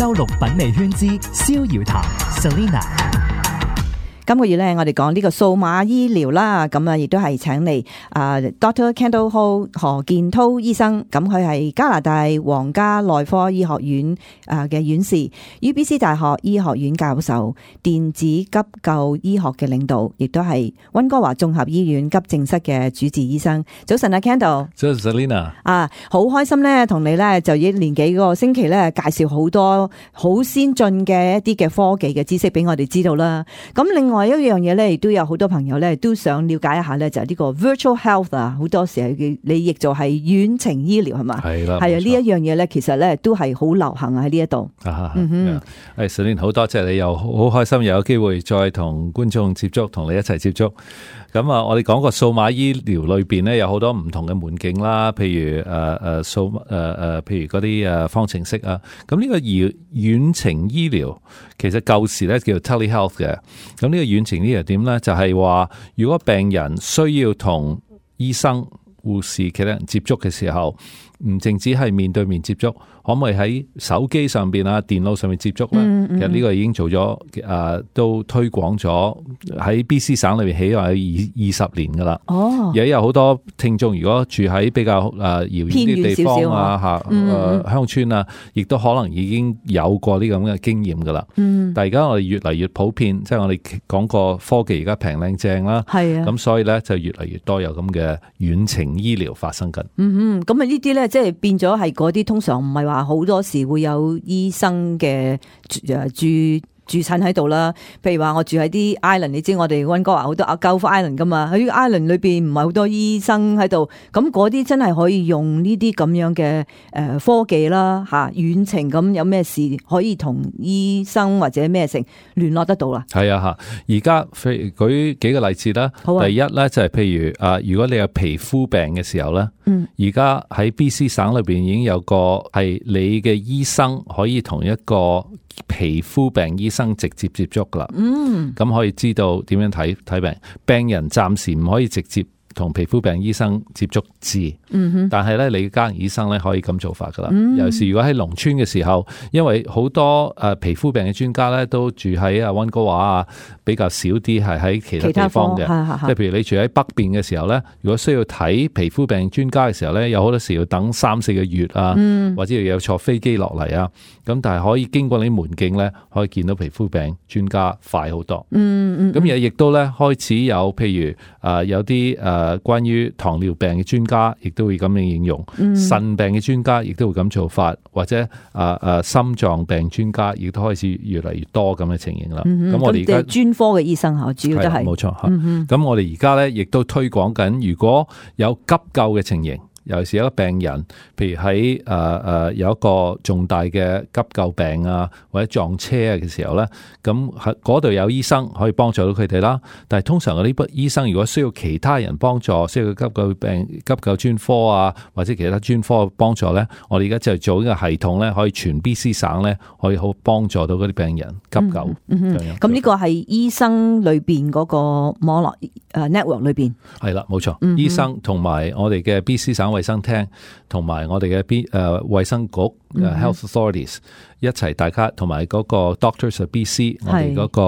周六品味圈之逍遙談 Selina。今個月咧，我哋講呢個數碼醫療啦，咁啊，亦都係請嚟Dr. Kendall Ho 何建滔醫生，咁佢係加拿大皇家內科醫學院嘅院士 ，UBC 大學醫學院教授，電子急救醫學嘅領導，亦都係溫哥華綜合醫院急症室嘅主治醫生。早晨啊 ，Kendall。早晨 Selina。好開心咧，同你咧就一連幾個星期咧介紹好多好先進嘅一啲嘅科技嘅知識俾我哋知道啦。咁另外一樣嘢咧，亦都有好多朋友咧都想了解一下咧，就係呢個 virtual health 啊，好多時候你譯做係遠程醫療係嘛？係啦，係啊，呢一樣嘢咧，其實咧都係好流行喺呢一度。Selina，好多謝你，又好開心又有機會再同觀眾接觸，同你一齊接觸。咁啊，我哋講個數碼醫療裏邊咧，有好多唔同嘅門徑啦，譬如譬如嗰啲方程式啊。咁呢個遠程醫療其實舊時咧叫做 telehealth 嘅。咁呢個遠程醫療點咧，就係話如果病人需要同醫生、護士其他人接觸嘅時候，唔淨止係面對面接觸，可唔可以喺手機上邊啊、電腦上面接觸咧？其實呢個已經做咗，都推廣咗喺 BC 省裏邊起碼有20年噶啦。而家有好多聽眾，如果住喺比較遙遠啲地方啊、鄉村啊，亦都可能已經有過呢咁嘅經驗噶啦。但係而家我哋越嚟越普遍，即係我哋講過科技而家平靚正啦。係啊，咁所以咧就越嚟越多有咁嘅遠程醫療發生緊。咁啊呢啲咧即係變咗係嗰啲通常唔係話好多時會有醫生嘅住診喺度啦，譬如話我住喺啲 island， 你知我哋溫哥華好多Gulf Island 噶嘛，喺 island 裏邊唔係好多醫生喺度，咁嗰啲真係可以用呢啲咁樣嘅科技啦吓，遠程咁有咩事可以同醫生或者咩成聯絡得到啦。係啊吓，而家舉幾個例子啦。第一咧就係譬如如果你有皮膚病嘅時候咧，而家喺 BC 省裏邊已經有個係你嘅醫生可以同一個皮膚病醫生直接接觸噶啦，咁可以知道點樣睇病。病人暫時唔可以直接同皮膚病醫生接觸治，但係咧你家人醫生咧可以咁做法噶啦。尤其是如果喺農村嘅時候，因為好多皮膚病嘅專家咧都住喺溫哥華啊，比較少啲係喺其他地方嘅。即係譬如你住喺北邊嘅時候咧，如果需要睇皮膚病專家嘅時候咧，有好多時要等3-4個月啊，或者要有坐飛機落嚟啊。咁但係可以經過呢啲門徑咧，可以見到皮膚病專家快好多。咁亦都咧開始有譬如有啲關於糖尿病嘅專家，亦都會咁樣應用；腎病嘅專家亦都會咁做法，或者心臟病專家亦都開始越嚟越多咁嘅情形啦。咁我哋而家專科嘅醫生吓，主要都係冇錯吓。咁我哋而家咧亦都推廣緊，如果有急救嘅情形。尤其是一個病人，譬如喺有一個重大嘅急救病啊，或者撞車啊嘅時候咧，咁喺嗰度有醫生可以幫助到佢哋啦。但係通常嗰啲醫生如果需要其他人幫助，需要急救專科啊，或者其他專科幫助咧，我哋而家就做呢個系統咧，可以全 BC 省咧可以好幫助到嗰啲病人急救。咁呢個係醫生裏邊嗰個網絡network 裏邊係啦，冇錯。醫生同埋我哋嘅 BC 省衛生廳同埋我哋嘅衛生局Health Authorities 一齊，大家同埋嗰個 Doctors of BC 我哋嗰個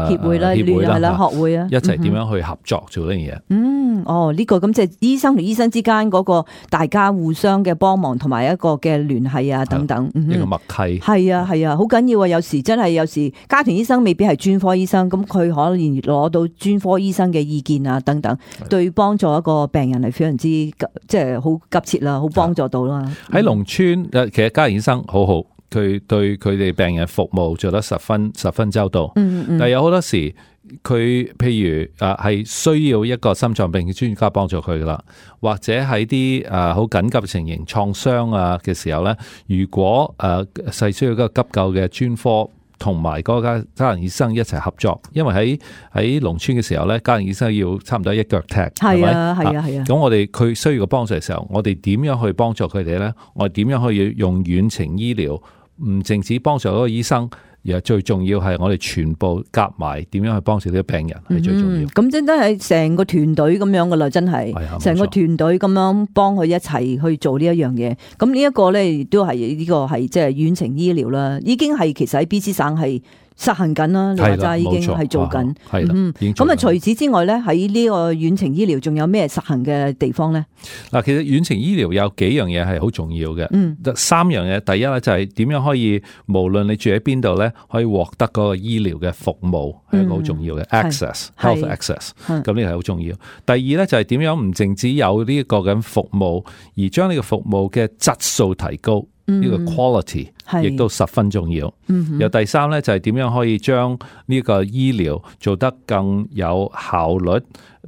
協會啦，學會啊，一齊點樣去合作做呢樣嘢？呢個咁即係醫生同醫生之間嗰個大家互相嘅幫忙同埋一個嘅聯繫啊等等，一個默契係啊，好緊要啊！有時真係有時家庭醫生未必係專科醫生，咁佢可能攞到專科醫生嘅意見啊等等，對幫助一個病人係非常之即係好急切啦，好幫助到啦。喺農村其實家庭醫生好好，佢對佢哋病人服務做得十分周到。但係有好多時佢譬如係需要一個心臟病嘅專家幫助佢噶啦，或者喺啲好緊急嘅情形創傷啊嘅時候咧，如果係需要一個急救嘅專科。同埋嗰個家庭醫生一齊合作，因為喺農村嘅時候咧，家庭醫生要差唔多一腳踢，係咪？係啊。咁我哋佢需要個幫助嘅時候，我哋點樣去幫助佢哋咧？我哋點樣可以用遠程醫療，唔淨止幫助嗰個醫生，而最重要係我哋全部夾埋點樣去幫助呢個病人係最重要。咁真係成個團隊咁樣噶啦，真係成個團隊咁樣幫佢一齊去做呢一樣嘢。咁呢一個咧，亦都係呢個係即係遠程醫療啦，已經係其實喺 BC 省係實行緊啦，你話齋已經係做緊。係啦，咁啊，除此之外咧，喺呢個遠程醫療仲有咩實行嘅地方咧？嗱，其實遠程醫療有幾樣嘢係好重要嘅。3樣嘢，第一咧就係點樣可以無論你住喺邊度咧，可以獲得嗰個醫療嘅服務係一個好重要嘅 access，health access。咁呢個係好重要。第二咧就係點樣唔淨止有呢個咁服務，而將呢個服務嘅質素提高。呢個 quality 亦都十分重要。有第三咧就係點樣可以將呢個醫療做得更有效率，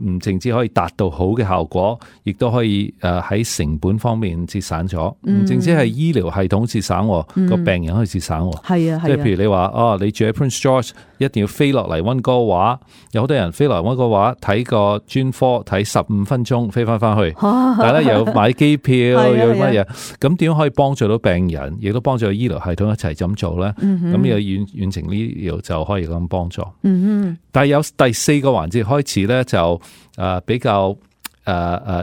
唔淨止可以達到好嘅效果，亦都可以喺成本方面節省咗。唔淨止係醫療系統節省，個病人可以節省。係啊，即係譬如你話你住喺 Prince George，一定要飛落嚟溫哥華，有好多人飛落嚟溫哥華睇個專科睇15分鐘飛翻去，但係咧又買機票又乜嘢，咁點樣可以幫助到病人，亦都幫助醫療系統一齊咁做咧？咁呢個遠程醫療就可以咁幫助。但係有第4個環節開始咧，就比較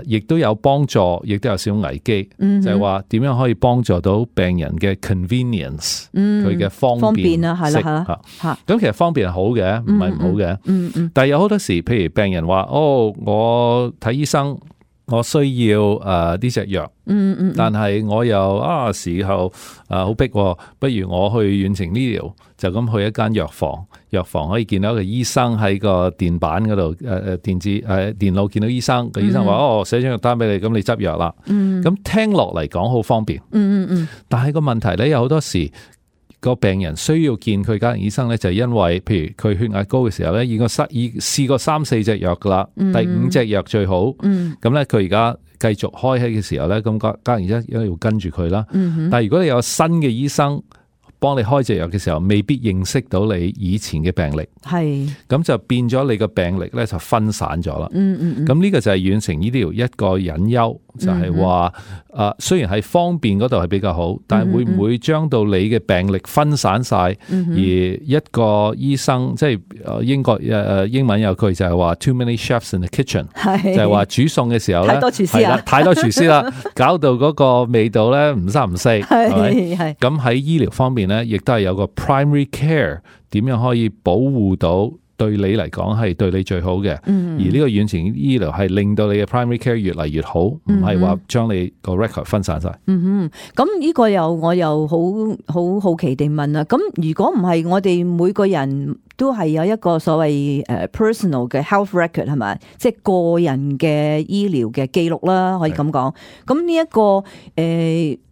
亦都有幫助，亦都有少少危機，就係話點樣可以幫助到病人嘅 convenience，佢嘅方便啊，係啦嚇。咁其實方便係好嘅，唔係唔好嘅。但係有好多時，譬如病人話：我睇醫生，我需要呢隻藥。但係我又時候好逼，不如我去遠程醫療，就咁去一間藥房，藥房可以見到一個醫生喺個電板嗰度，電腦見到醫生，個醫生話寫張藥單俾你，咁你執藥啦。咁聽落嚟講好方便。但係個問題咧，有好多時個病人需要見佢家庭醫生咧，就係因為譬如佢血壓高嘅時候咧，已試過3-4隻藥噶啦，第5隻藥最好。咁咧佢而家繼續開起嘅時候咧，咁家庭醫生要跟住佢啦。但係如果你有新嘅醫生幫你開隻藥嘅時候，未必認識到你以前嘅病歷，咁就變咗你個病歷咧就分散咗啦。咁呢個就係遠程醫療一個隱憂，就係話雖然係方便嗰度係比較好，但係會唔會將到你嘅病歷分散晒，而一個醫生即係英文有句就係話 too many chefs in the kitchen， 就係話煮餸嘅時候咧太多廚師啦，搞到嗰個味道咧唔三唔四，係咪？咁喺醫療方面咧，亦都係有個 primary care， 點樣可以保護到對你嚟講係對你最好嘅，而呢個遠程醫療係令到你嘅 primary care 越嚟越好，唔係話將你個 record 分散晒。咁呢個我又好好奇地問啦，咁如果唔係我哋每個人都係有一個所謂personal 嘅 health record 係咪？即係個人嘅醫療嘅記錄啦，可以咁講。咁呢一個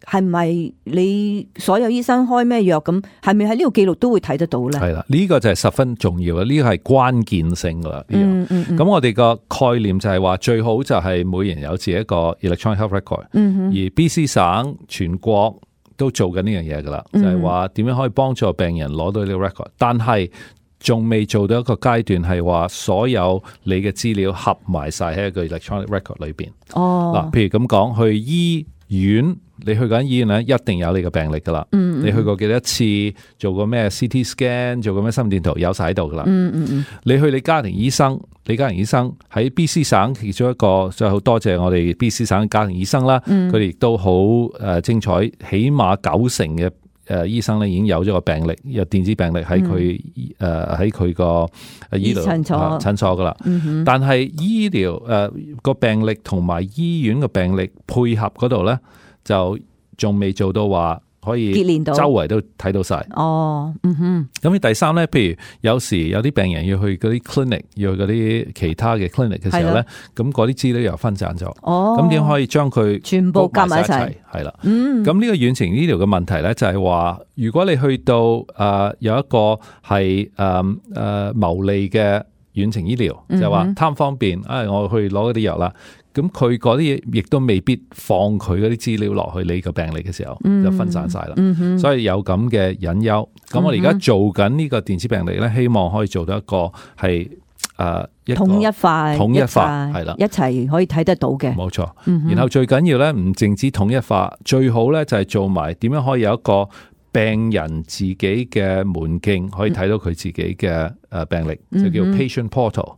係咪你所有醫生開咩藥咁，係咪喺呢個記錄都會睇得到咧？係啦，呢個就係十分重要嘅，呢個係關鍵性噶啦。咁我哋個概念就係話最好就係每人有自己一個 electronic health record，而 BC 省全國都做緊呢樣嘢噶啦，就係話點樣可以幫助病人攞到呢個 record， 但係仲未做到一個階段係話所有你嘅資料合埋晒喺一個 electronic record 裏邊。嗱，譬如咁講，去醫院，你去緊醫院咧，一定有你嘅病歷噶啦。你去過幾多次，做過咩 CT scan， 做過咩心電圖，有晒喺度噶啦。你去你家庭醫生，你家庭醫生喺 BC 省其中一個，就好多謝我哋 BC 省嘅家庭醫生啦。佢哋亦都好精彩，起碼90%嘅醫生咧已經有咗個病歷，有電子病歷喺佢個醫療診所噶啦。但係醫療個病歷同埋醫院個病歷配合嗰度咧，就仲未做到話可以周圍都睇到晒。咁第三咧，譬如有時有啲病人要去嗰啲 clinic， 要去嗰啲其他嘅 clinic 嘅時候咧，咁嗰啲資料又分散咗。咁點可以將佢全部夾埋一齊？係啦。咁呢個遠程醫療嘅問題咧，就係話如果你去到有一個係牟利嘅遠程醫療，就係話貪方便，我去攞嗰啲藥啦。咁佢嗰啲嘢亦都未必放佢嗰啲資料落去你個病歷嘅時候，就分散晒啦。所以有咁嘅隱憂。咁我哋而家做緊呢個電子病歷咧，希望可以做到一個係統一化係啦，一齊可以睇得到嘅。冇錯。然後最緊要咧，唔淨止統一化，最好咧就係做埋點樣可以有一個病人自己嘅門徑可以睇到佢自己嘅病歷，就叫 patient portal。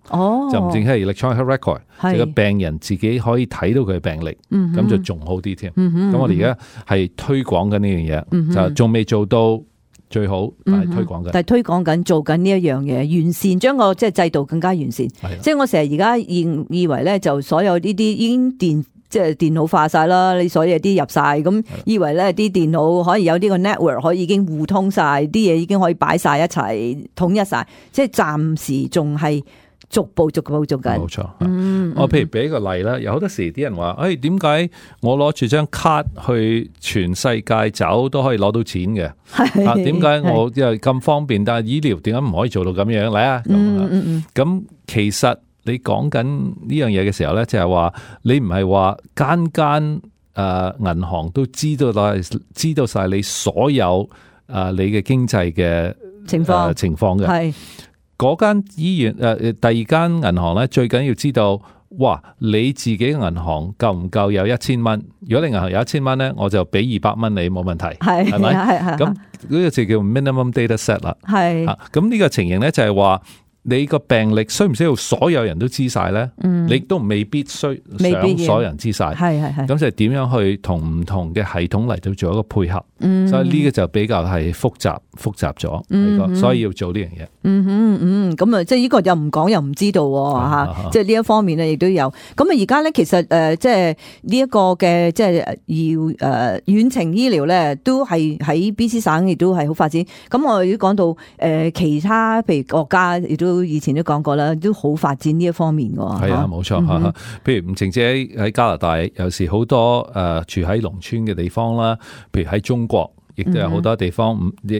就唔淨係 electronic record， 就個病人自己可以睇到佢嘅病歷，咁就仲好啲添。咁我哋而家係推廣緊呢樣嘢，就仲未做到最好，但係推廣緊。但係推廣緊，做緊呢一樣嘢，完善將個即係制度更加完善。即係我成日而家以為咧，就所有呢啲已經即係電腦化晒啦，你所有啲入晒，咁以為咧啲電腦可以有呢個 network 可以已經互通晒，啲嘢已經可以擺晒一齊統一晒，即係暫時仲係逐步做緊。冇錯。我譬如俾個例啦，有好多時啲人話，點解我攞住張卡去全世界走都可以攞到錢嘅？點解我又咁方便，但係醫療點解唔可以做到咁樣嚟啊？咁其實你講緊呢樣嘢嘅時候咧，就係話你唔係話間銀行都知道晒你所有你嘅經濟嘅情況嘅。係嗰間醫院第二間銀行咧，最緊要知道，哇！你自己嘅銀行夠唔夠有1000蚊？如果你銀行有1000蚊咧，我就俾200蚊你，冇問題，係咪？咁呢個就叫 minimum data set 啦。係咁呢個情形咧，就係話。你個病歷需唔需要所有人都知晒咧？你都未必想所有人知晒。咁就係點樣去同唔同嘅系統嚟到做一個配合？所以呢個就比較係複雜咗。所以要做呢樣嘢。咁啊，即係呢個又唔講又唔知道吓。即係呢一方面咧，亦都有。咁啊，而家咧其實即係呢一個嘅即係要遠程醫療咧，都係喺 BC 省亦都係好發展。咁我哋都講到其他譬如國家亦都。以前都講過啦，都好發展呢一方面㗎。係啊，冇錯。譬如吳晴姐喺加拿大，有時好多住喺農村嘅地方啦，譬如喺中國。亦都有好多地方，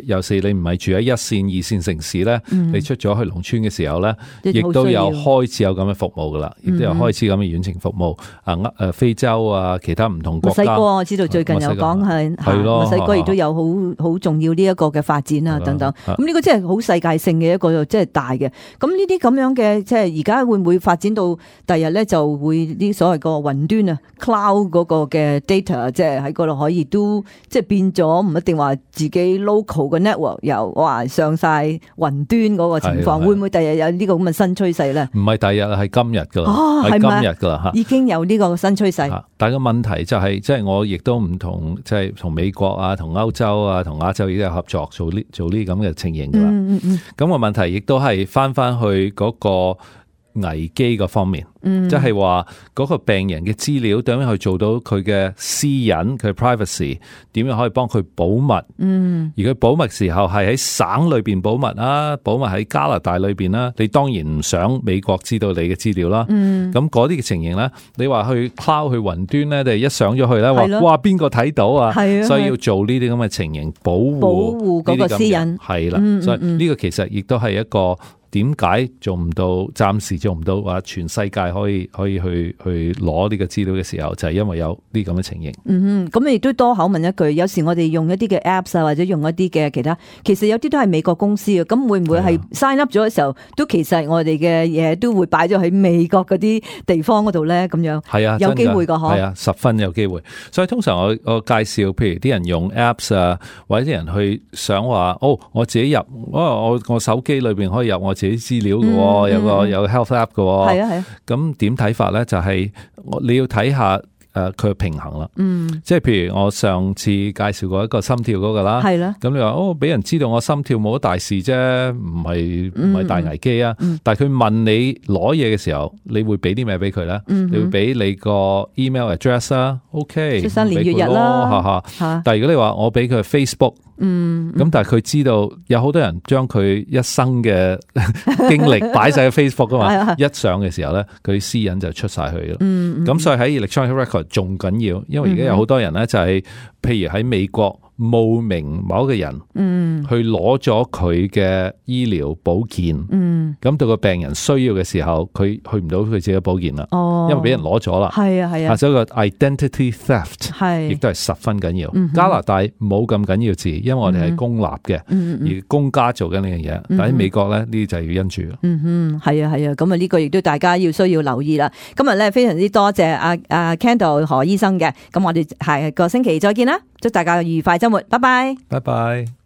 有時你唔係住喺1線、2線城市咧，你出咗去農村嘅時候咧，亦都有開始有咁嘅服務噶啦，亦都有開始咁嘅遠程服務。非洲啊，其他唔同國家。墨西哥我知道最近有講係墨西哥亦都有好重要呢一個嘅發展啊等等。咁呢個真係好世界性嘅一個即係大嘅。咁呢啲咁樣嘅即係而家會唔會發展到第日咧就會啲所謂個雲端啊 cloud 嗰個嘅 data 即係喺嗰度可以都即係變咗唔定話自己 local 嘅 network 又哇上晒雲端嗰個情況，會唔會第日有呢個咁嘅新趨勢咧？唔係第日，係今日噶啦，係今日噶啦吓，已經有呢個新趨勢。但係個問題就係，即係我亦都唔同，即係同美國啊、同歐洲啊、同亞洲亦都有合作做呢咁嘅情形噶啦。咁個問題亦都係翻去嗰個危機個方面，即係話嗰個病人嘅資料點樣去做到佢嘅私隱，佢 privacy 點樣可以幫佢保密？而佢保密時候係喺省裏邊保密啊，保密喺加拿大裏邊啦。你當然唔想美國知道你嘅資料啦。咁嗰啲嘅情形咧，你話去 cloud 去雲端咧，你一上咗去咧，話哇邊個睇到啊？所以要做呢啲咁嘅情形，保護嗰個私隱係啦。所以呢個其實亦都係一個。點解做唔到？暫時做唔到話全世界可以去攞呢個資料嘅時候，就係因為有呢咁嘅情形。咁亦都多口問一句，有時我哋用一啲嘅 apps 啊，或者用一啲嘅其他，其實有啲都係美國公司嘅，咁會唔會係 sign up 咗嘅時候，都其實我哋嘅嘢都會擺咗喺美國嗰啲地方嗰度咧？咁樣係啊，有機會噶嗬？係啊，十分有機會。所以通常我介紹，譬如啲人用 apps 啊，或者啲人去想話，我自己入，我手機裏邊可以入我自己資料嘅，有個 health app 嘅，係啊係啊。咁點睇法咧？就係你要睇下佢嘅平衡啦。即係譬如我上次介紹過一個心跳嗰個啦，係啦。咁你話俾人知道我心跳冇乜大事啫，唔係大危機啊。但係佢問你攞嘢嘅時候，你會俾啲咩俾佢咧？你會俾你個 email address 啊 ，OK， 出生年月日啦，但係如果你話我俾佢 Facebook。咁但係佢知道有好多人將佢一生嘅經歷擺晒喺 Facebook 噶嘛，一上嘅時候咧，佢私隱就出晒去咯。咁所以喺 electronic record 仲緊要，因為而家有好多人咧就係，譬如喺美國冒名某一個人，去攞咗佢嘅醫療保健，咁到個病人需要嘅時候，佢去唔到佢自己嘅保健啦，因為俾人攞咗啦。係啊係啊，所以個 identity theft 亦都係十分緊要。加拿大冇咁緊要字，因為我哋係公立嘅，而公家做緊呢樣嘢。但喺美國咧，呢啲就係要因住。係啊係啊，咁啊呢個亦都大家需要留意啦。今日咧非常之多謝阿 Kendall 何醫生嘅，咁我哋下個星期再見啦。祝大家愉快周末，拜拜。拜拜。